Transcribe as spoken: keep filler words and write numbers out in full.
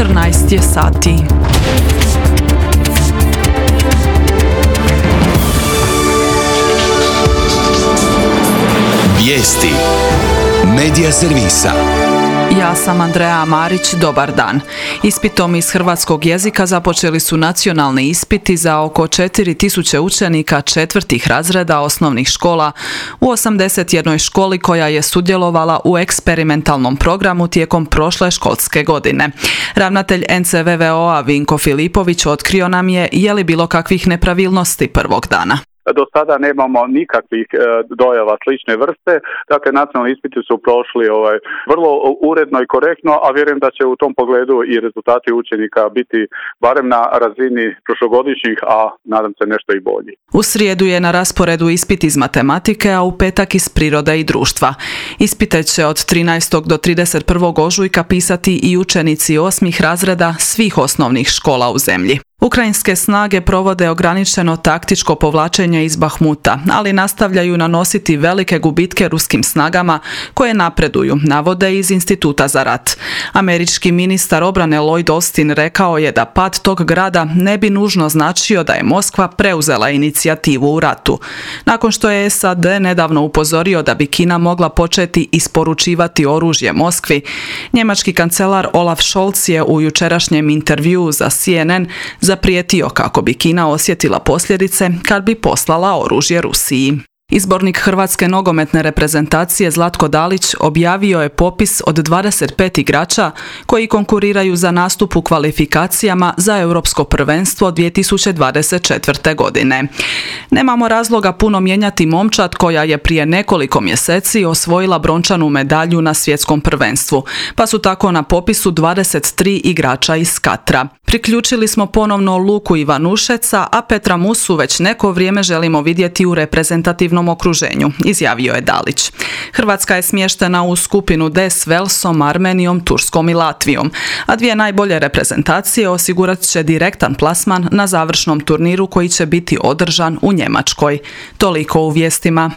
četrnaest je sati. Vijesti Medija servisa. Ja sam Andreja Marić, dobar dan. Ispitom iz hrvatskog jezika započeli su nacionalni ispiti za oko četiri tisuće učenika četvrtih razreda osnovnih škola u osamdeset jednoj školi koja je sudjelovala u eksperimentalnom programu tijekom prošle školske godine. Ravnatelj en ce ve ve o-a Vinko Filipović otkrio nam je je li bilo kakvih nepravilnosti prvog dana. Do sada nemamo nikakvih e, dojava slične vrste, dakle nacionalni ispiti su prošli ovaj, vrlo uredno i korektno, a vjerujem da će u tom pogledu i rezultati učenika biti barem na razini prošlogodišnjih, a nadam se nešto i bolji. U srijedu je na rasporedu ispit iz matematike, a u petak iz prirode i društva. Ispite će od trinaestog do trideset prvog ožujka pisati i učenici osmih razreda svih osnovnih škola u zemlji. Ukrajinske snage provode ograničeno taktičko povlačenje iz Bahmuta, ali nastavljaju nanositi velike gubitke ruskim snagama koje napreduju, navode iz Instituta za rat. Američki ministar obrane Lloyd Austin rekao je da pad tog grada ne bi nužno značio da je Moskva preuzela inicijativu u ratu. Nakon što je es a de nedavno upozorio da bi Kina mogla početi isporučivati oružje Moskvi, njemački kancelar Olaf Scholz je u jučerašnjem intervjuu za ce en en zaprijetio kako bi Kina osjetila posljedice kad bi poslala oružje Rusiji. Izbornik hrvatske nogometne reprezentacije Zlatko Dalić objavio je popis od dvadeset pet igrača koji konkuriraju za nastup u kvalifikacijama za Europsko prvenstvo dvije tisuće dvadeset četvrte. godine. Nemamo razloga puno mijenjati momčad koja je prije nekoliko mjeseci osvojila brončanu medalju na svjetskom prvenstvu, pa su tako na popisu dvadeset tri igrača iz Katra. Priključili smo ponovno Luku Ivanušeca, a Petra Musu već neko vrijeme želimo vidjeti u reprezentativnom okruženju, izjavio je Dalić. Hrvatska je smještena u skupinu D s Velsom, Armenijom, Turskom i Latvijom, a dvije najbolje reprezentacije osigurat će direktan plasman na završnom turniru koji će biti održan u Njemačkoj. Toliko u vijestima.